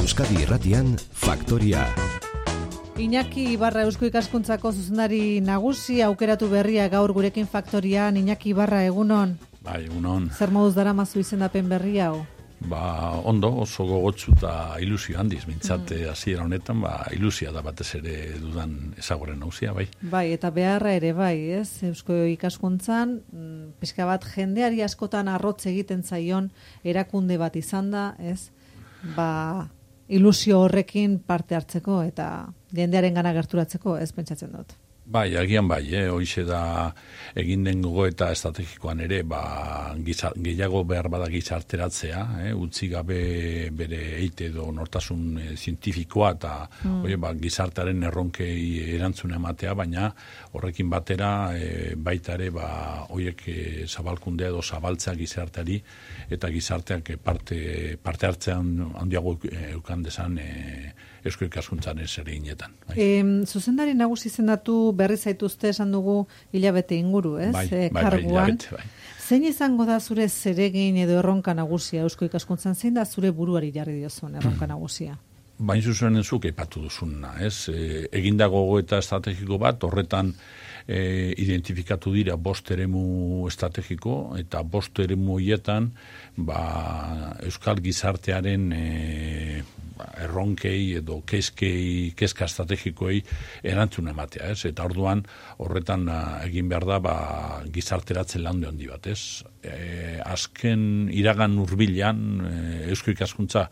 Euskadi Irratian Faktoria. Iñaki Ibarra Eusko Ikaskuntzako zuzendari nagusi aukeratu berria gaur gurekin Faktorian. Iñaki Ibarra, egunon. Bai, egunon. Zer moduz daramazu izendapen berria hau? Ondo, oso gogotsu eta ilusio handiz, mintzate hasiera honetan, ilusia da batez ere dudan ezaguren nauzia, bai. Bai, eta beharra ere, bai, ez? Eusko Ikaskuntzan, pixka bat jendeari askotan arrotz egiten zaion erakunde bat izan da, ez? Ilusio horrekin parte hartzeko eta jendearen gana gerturatzeko, ez pentsatzen dut. Bai, agian bai, hoize da egin den gogoeta estrategikoan ere, gehiago behar bada gizarteratzea, utzi gabe bere eite edo nortasun zientifikoa eta gizartearen erronkei erantzuna ematea, baina horrekin batera baita ere horiek zabalkundea edo zabaltzea gizarteari eta gizarteak parte hartzean handiago eukan desan Eusko Ikaskuntzan ere inetan. Zuzendari nagusi izendatu berri zaituzte esan dugu hilabete inguru, ez? Karguan. Bai. Zein izango da zure zeregin edo erronka nagusia Eusko Ikaskuntzan? Zein da zure buruari jarri diozun erronka nagusia? Bain zuzen zuk aipatu duzuna, ez? Egindago gogoeta estrategiko bat, horretan identifikatu dira 5 eremu estrategiko, eta 5 eremu horietan Euskal gizartearen erronkei edo kezka estrategikoei erantzun ematea, ez? Eta orduan horretan egin behar da gizarteratzen lande handi bat, ez? Azken iragan hurbilean Eusko Ikaskuntza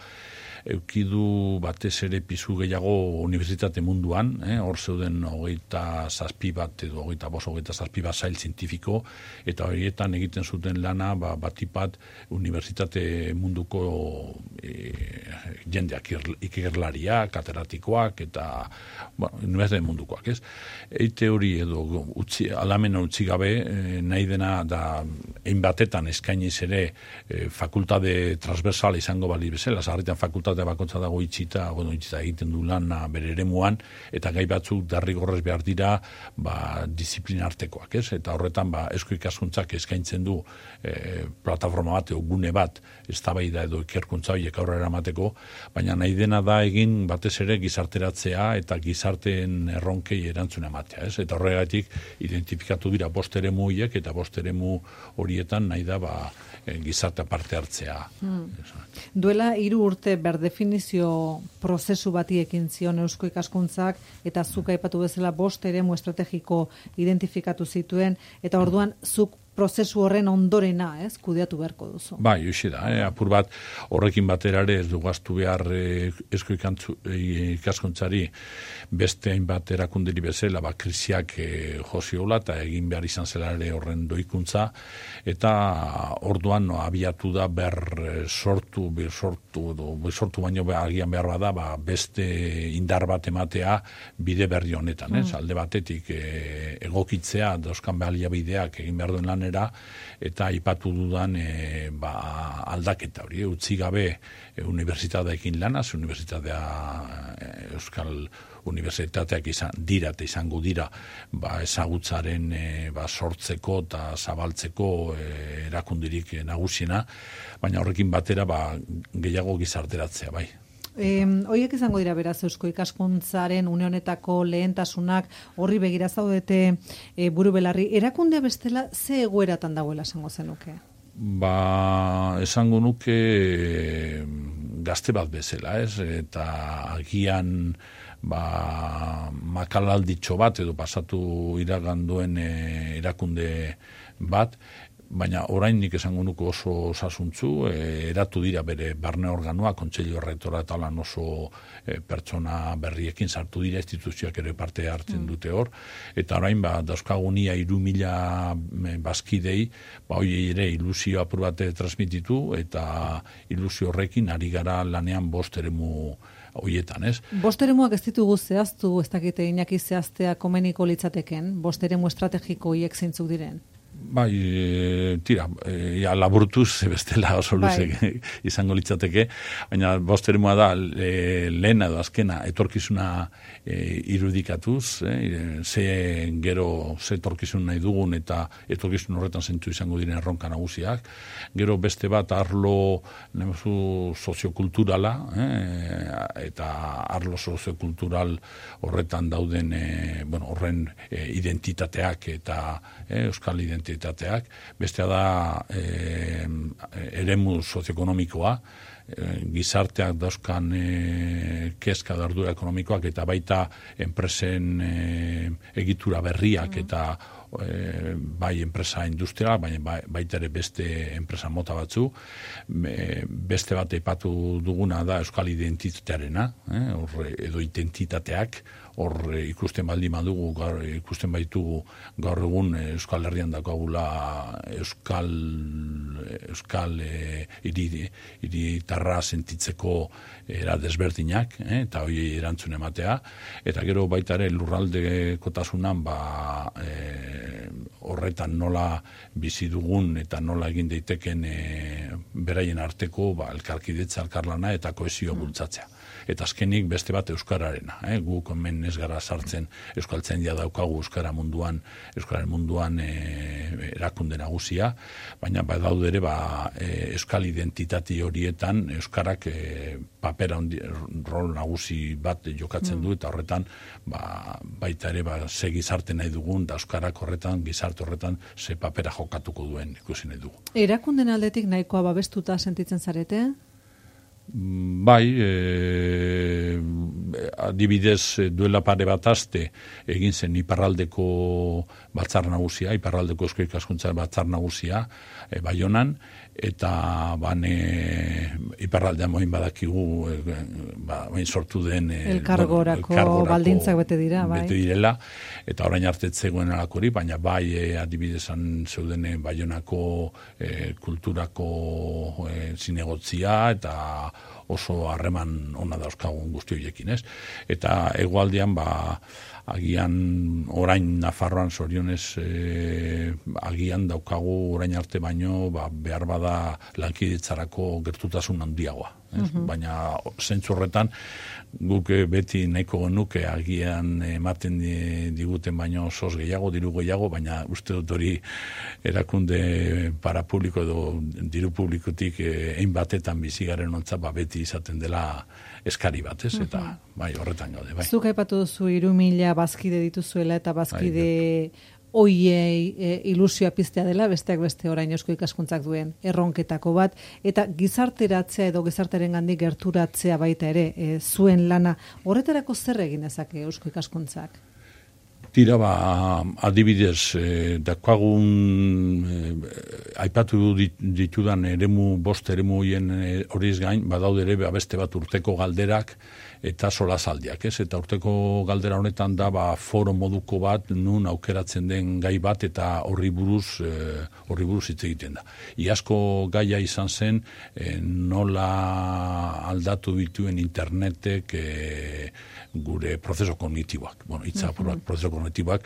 eukidu batez ere pisu gehiago unibertsitate munduan, hor zeuden 27 bat edo 27 bat sail zientifiko, eta horietan egiten zuten lana batipat unibertsitate munduko jendeak, ikerlariak, kateratikoak eta unibertsitate mundukoak, ez? Eite hori edo alamena utzi gabe, nahi dena da hainbatetan eskainiz ere fakultate transversal izango bali bezala, sarritan fakultate bakontza dago itxita egiten du lana bere eremuan, eta gai batzuk derrigorrez behar dira disiplina artekoak, ez? Eta horretan Eusko Ikaskuntzak eskaintzen du plataforma bat, gune bat, eztabaida edo ikerkuntza horiek aurrera eramateko, baina nahi dena da egin batez ere gizarteratzea eta gizarteen erronkei erantzuna ematea, ez? Eta horregatik identifikatu dira 5 eremu horiek, eta 5 eremu horietan nahi da gizartea parte hartzea. Duela 3 urte berdefinizio prozesu bati ekin zion Eusko Ikaskuntzak, eta zuk aipatu bezala 5 eremu estrategiko identifikatu zituen, eta orduan zuk prozesu horren ondorena, ez, kudeatu beharko duzu. Bai, hoxe da, apur bat horrekin batera ere ez dugaztu behar Eusko Ikaskuntzari beste hainbat erakunderi bezala, krisiak joziola eta egin behar izan zela ere horren doikuntza, eta orduan abiatu da sortu baino agian behar bada, beste indar bat ematea bide berri honetan, ez? Alde batetik egokitzea, dauzkan baliabideak egin behar duen lan eta aipatu dudan aldaketa hori, utzi gabe unibertsitateekin lanaz, unibertsitatea Euskal unibertsitateak izango dira ezagutzaren sortzeko eta zabaltzeko erakundirik nagusiena, baina horrekin batera gehiago gizarteratzea, bai. Horiek izango dira beraz Eusko Ikaskuntzaren une honetako lehentasunak, horri begira zaudete buru belarri. Erakundea bestela ze egoeratan dagoela esango zenuke? Esango nuke gazte bat bezala, ez? Eta agian makalalditxo bat edo pasatu iraganduen erakunde bat, baina orain nik esango nuke oso osasuntzu, eratu dira bere barne organoa, kontseilu errektora eta lan oso pertsona berriekin sartu dira, instituzioak ere parte hartzen dute hor, eta orain dauzkagunia 3.000 bazkidei, hori ere ilusio apur bat transmititu, eta ilusio horrekin ari gara lanean 5 eremu horietan, ez? 5 eremuak ez ditugu zehaztu, ez dakite Iñaki zehaztea komeniko litzateken, 5 eremu estrategiko hiek zeintzuk diren? Bai, tira, laburtuz, bestela oso luzek izango litzateke, baina bosterimoa da, lehena edo azkena, etorkizuna irudikatuz, ze etorkizun nahi dugun, eta etorkizun horretan zentu izango diren erronka nagusiak, gero beste bat arlo soziokulturala, eta arlo soziokultural horretan dauden, horren identitateak eta euskal identitateak, bestea da eremu sozioekonomikoa, gizarteak dauzkan kezka da ardura ekonomikoak eta baita enpresen egitura berriak eta bai enpresa industrial, baita ere beste enpresa mota batzu, beste bat aipatu duguna da euskal identitatearena, edo identitateak, hor ikusten baldin badugu, ikusten baitugu gaur egun Euskal Herrian daukagula euskal hiritarra sentitzeko era desberdinak, eta hori erantzun ematea, eta gero baita ere lurraldekotasunan horretan nola bizi dugun eta nola egin daiteken beraien arteko elkarkidetza, elkarlana eta kohesio bultzatzea. Eta azkenik beste bat euskararena, guk hemen ez gara sartzen euskaltzaindia daukagu euskararen munduan erakunde nagusia, baina badaude ere euskal identitate horietan euskarak papera rol nagusi bat jokatzen du, eta horretan baita ere ze gizarte nahi dugun, da euskarak horretan, gizarte horretan ze papera jokatuko duen ikusi nahi dugu. Erakunden aldetik nahikoa babestuta sentitzen zarete? Bai, adibidez duela pare bat aste egin zen iparraldeko batzar nagusia, iparraldeko eusko ikaskuntza batzar nagusia, Baionan, eta iparraldean moin badakigu sortu den elkargorako baldintzak bete dira, bai. Bete direla, eta orain arte zegoen alakori, baina bai adibidezan zeuden Baionako kulturako zinegotzia, eta oso harreman ona dauzkagun guzti horiekin, ez? Eta hegoaldean agian orain Nafarroan zorionez agian daukagu orain arte baino behar bada lankidetzarako gertutasun handiagoa. Baina zentzu horretan guk beti nahiko genuke agian ematen diguten baino sos gehiago, diru gehiago, baina uste dut hori erakunde parapubliko edo diru publikotik hainbatetan bizigaren ontza beti izaten dela eskari bat, ez? Eta bai, horretan gaude, bai. Zuk aipatu duzu 3.000 bazkide dituzuela eta bazkide oiei ilusioa piztea dela, besteak beste orain eusko ikaskuntzak duen erronketako bat, eta gizarteratzea edo gizartearengandik gerturatzea baita ere, zuen lana, horretarako zer egin dezake eusko ikaskuntzak? Tira, adibidez, daukagun aipatu ditudan bost eremu horien horiz gain, badaude ere beste bat urteko galderak eta solasaldiak, ez? Eta urteko galdera honetan da foro moduko bat nun aukeratzen den gai bat eta horri buruz hitz egiten da. Iazko gaia izan zen nola aldatu dituen internetek gure prozeso kognitiboak. Itza prozeso kognitiboak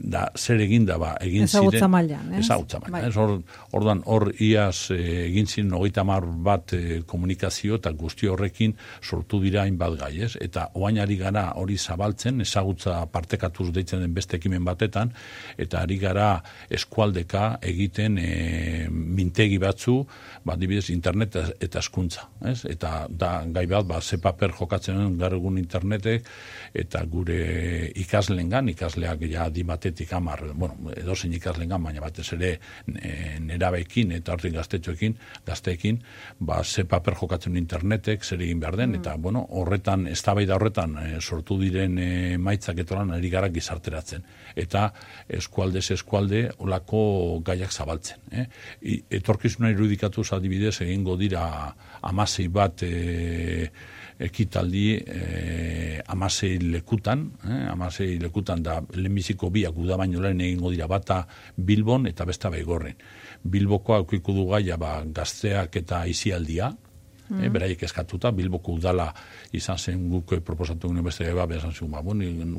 da zer egin da egin ziren ezagutza mailan, ezagutza mailan. Orduan hor iaz egin ziren 30 bat komunikazio eta guzti horrekin sortu dira bat gai, ez? Eta oain ari gara hori zabaltzen, ezagutza partekatuz deitzen den beste ekimen batetan, eta ari gara eskualdeka egiten mintegi batzu, adibidez internet eta hezkuntza, ez? Eta da gai bat, ze paper jokatzen gaur egun internetek, eta gure ikasleak ja dimatetik 10, edozein ikaslengan, baina batez ere nerabeekin eta hortik gazteekin, ze paper jokatzen internetek, zer egin behar den, eta horretan, eztabaida horretan sortu diren emaitzak etolan ari gara gizarteratzen. Eta eskualde olako gaiak zabaltzen. Etorkizuna irudikatuz adibidez egingo dira 16 bat ekitaldi 16 lekutan da lehenbiziko biak uda baino lehen egingo dira bata Bilbon eta besta Baigorren. Bilbokoa aukiko du gaia gazteak eta aisialdia, beraiek eskatuta, Bilboko udala izan zen guk proposatu gune beste bezan zuen,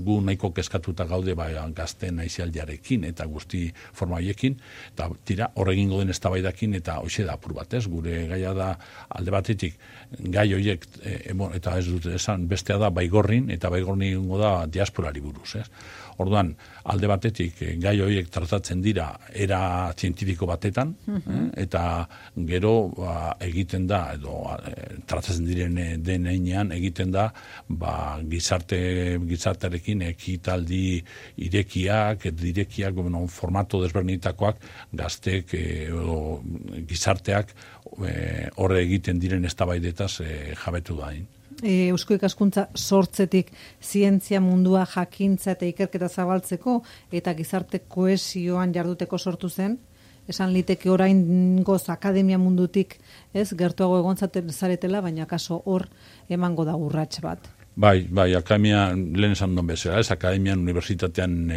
gu nahiko eskatuta gaude gazten aizialdiarekin eta guzti forma haiekin, eta tira, horregingo den eztabaidakin eta hoxe da apur bat, ez? Gure gaia da alde batetik, gai horiek, eta ez dut esan, bestea da baigorrin, eta baigorrin da diasporari buruz, ez? Orduan, alde batetik, gai horiek tratatzen dira era zientifiko batetan, eta gero egiten da, edo tratatzen diren denean egiten da, gizartearekin ekitaldi irekiak, formato desberdinetakoak, gaztek edo gizarteak horre egiten diren eztabaidetaz jabetu da. Eusko ikaskuntza sortzetik zientzia mundua jakintza eta ikerketa zabaltzeko eta gizarte kohesioan jarduteko sortu zen, esan liteke oraingoz akademia mundutik, ez, gertuago egon zaretela, baina kaso hor emango da urrats bat. Bai, akademia, lehen esan duen bezala, ez, akademian, unibertsitatean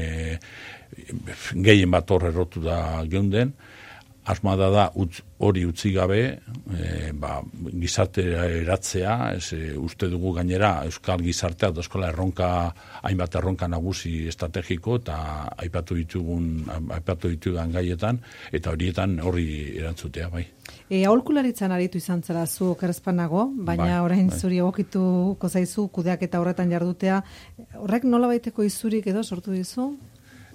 gehien bat hor errotu da geunden, asmoa da hori utzi gabe, gizartera eratzea, uste dugu gainera Euskal Gizartea, eskola hainbat erronka nagusi estrategiko, eta aipatu ditudan gaietan, eta horietan horri erantzutea, bai. Aholkularitzan aritu izan zara zu okerrezpanago, baina orain zuri egokituko zaizu kudeak eta horretan jardutea, horrek nola baiteko izurik edo sortu dizu?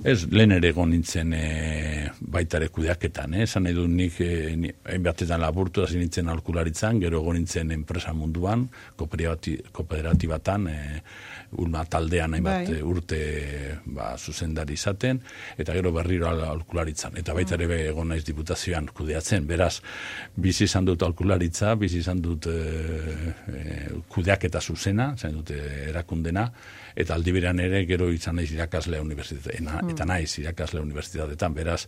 Ez, lehen ere egon nintzen baitare kudeaketan, esan nahi du nik hainbatetan laburtu, hasi nintzen aholkularitzan, gero egon nintzen enpresa munduan, kooperatibatan, Ulma taldean hainbat urte zuzendari izaten, eta gero berriro aholkularitzan. Eta baita ere egon naiz diputazioan kudeatzen, beraz, bizi izan dut aholkularitza, bizi izan dut kudeaketa zuzena, izan dut erakundena, eta aldi berean ere gero izan naiz irakasle unibertsitatean, eta naiz irakasle unibertsitatean, beraz,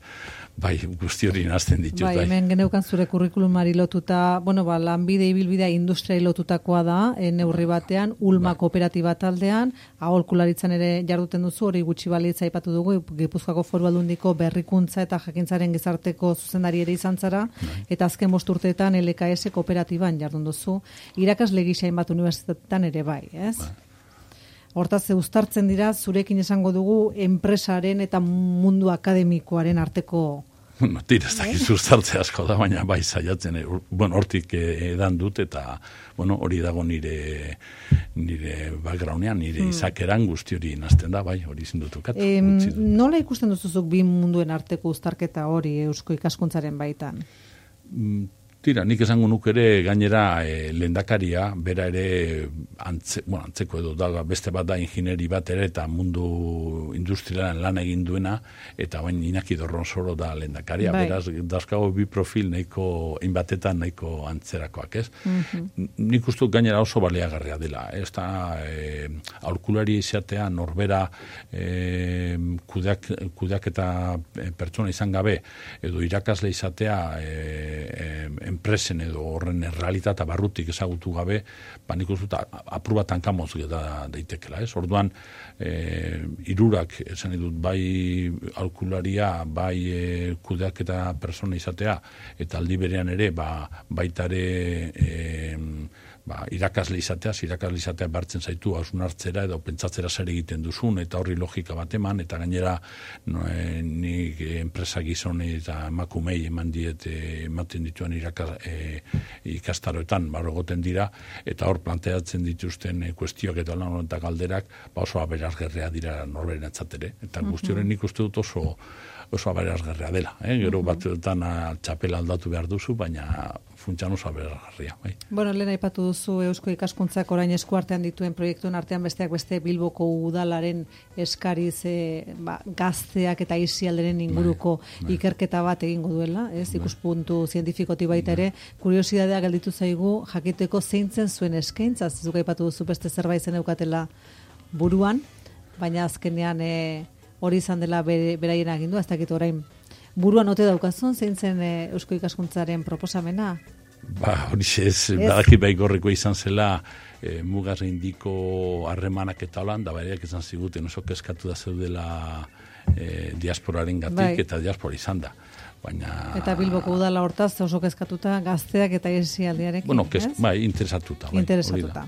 bai, guzti hori nazten ditut. Bai, hemen geneukan zure kurrikulumari lotuta, lanbide ibilbidea industriai lotutakoa da, neurri batean, Ulma kooperatiba taldean, aholkularitzan ere jarduten duzu, hori gutxi balitza aipatu dugu, Gipuzkoako Foru Aldundiko berrikuntza eta jakintzaren gizarteko zuzendari ere izan zara, eta azken 5 urteetan LKS kooperatiban jardun duzu, irakasle gisa hainbat unibertsitatean ere bai, ez? Hortaz, uztartzen dira, zurekin esango dugu, enpresaren eta mundu akademikoaren arteko... Tira, ez dakiz uztartze asko da, baina bai zaiatzen, hortik edan dut, eta hori dago nire backgroundean, nire izakeran guzti hori nazten da, bai, hori zindutukat. Nola ikusten duzuzuk bi munduen arteko uztarketa hori Eusko ikaskuntzaren baitan? Tira, nik esango nuk ere gainera lehendakaria, bera ere antzeko edo da, beste bat da ingineri bat ere eta mundu industrialan lan egin duena, eta bain Iñaki Dorronsoro da lehendakaria, beraz, dazkago bi profil nahiko, inbatetan nahiko antzerakoak, ez? Nik uste gainera oso baliagarria dela, ez da aholkulari izatea norbera kudeak eta pertsona izan gabe, edo irakasle izatea enpresen edo horren realitatea barrutik ezagutu gabe, nik uste apur bat hankamoz daitekela, ez? Orduan, hirurak, esan edut, bai aholkularia, bai kudeak eta persona izatea, eta aldi berean ere, baita ere irakasle izatea bartzen zaitu hausnartzera edo pentsatzera zer egiten duzun, eta horri logika bat eman, eta gainera nik enpresa gizone eta emakumei ematen dituen ikastaroetan egoten dira, eta hor planteatzen dituzten kuestioak eta lan eta galderak oso aberasgarria dira norberen atzatere, eta guzti horren nik uste dut oso aberasgarria dela. Gero batzuetan txapela aldatu behar duzu, baina funtsan oso aberasgarria. Lehen aipatu duzu Eusko ikaskuntzak orain eskuartean dituen proiektuen artean besteak beste Bilboko udalaren eskariz gazteak eta aisialderen inguruko ikerketa bat egingo duela, ikuspuntu zientifikotik baita ere, kuriosidadea gelditu zaigu jakiteko zeintzen zuen eskaintza, zuk aipatu duzu beste zerbait zen eukatela buruan, baina azkenean hori izan dela beraien agindua, ez dakit orain buruan ote daukazun, zein zen Eusko ikaskuntzaren proposamena? Hori ez, badaki baigorreko izan zela mugaz indiko harremanak eta holan, da baiak izan ziguten oso kezkatu da zeudela diasporaren gatik, eta diaspora izan da. baina... Eta Bilboko udala hortaz oso kezkatuta gazteak eta esialdiarekin, bueno, bai, interesatuta.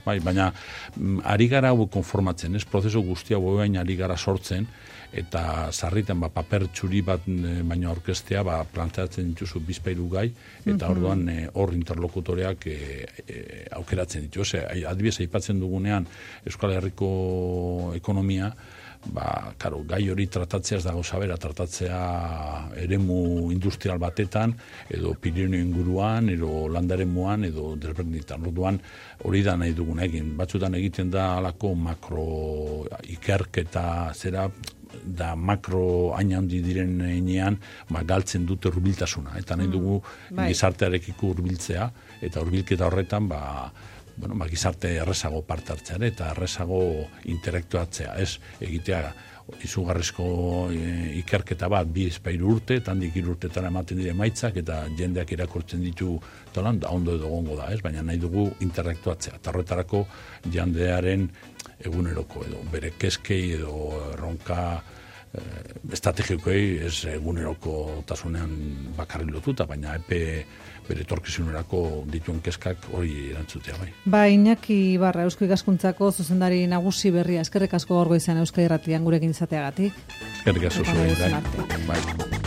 Bai, baina ari gara hau konformatzen, prozesu guztia baina ari gara sortzen, eta sarritan paper txuri bat baino aurkeztea planteatzen dituzu bizpairu gai, eta orduan hor interlokutoreak aukeratzen ditu. Adibidez, aipatzen dugunean Euskal Herriko ekonomia, gai hori tratatzea ez dago zabera, tratatzea eremu industrial batetan, edo Pirineo inguruan, edo landaremuan, edo desberdinetan. Orduan hori da nahi dugun egin. Batzutan egiten da alako makro ikerketa zera, da makro hain handi diren heinean galtzen dute hurbiltasuna. Eta nahi dugu gizartearekiko hurbiltzea, eta hurbilketa horretan gizarte errezago parte hartzea eta errezago intelektuatzea, ez egitea izugarrizko ikerketa bat 2-3 urte, eta handik 3 urtetan ematen dire emaitzak, eta jendeak irakurtzen ditu tolan, da ondo edo gongo da, ez? Baina nahi dugu intelektuatzea, eta horretarako jendearen eguneroko edo bere keskei edo erronka estrategikoei ez eguneroko tasunean bakarri lotuta, baina bere etorkizunerako dituen keskak hori erantzutea bai. Iñaki Ibarra, Eusko Ikaskuntzako zuzendari nagusi berria, eskerrik asko gaur goizean Euskadi Irratian gurekin izateagatik. Eskerrik asko zuei, bai.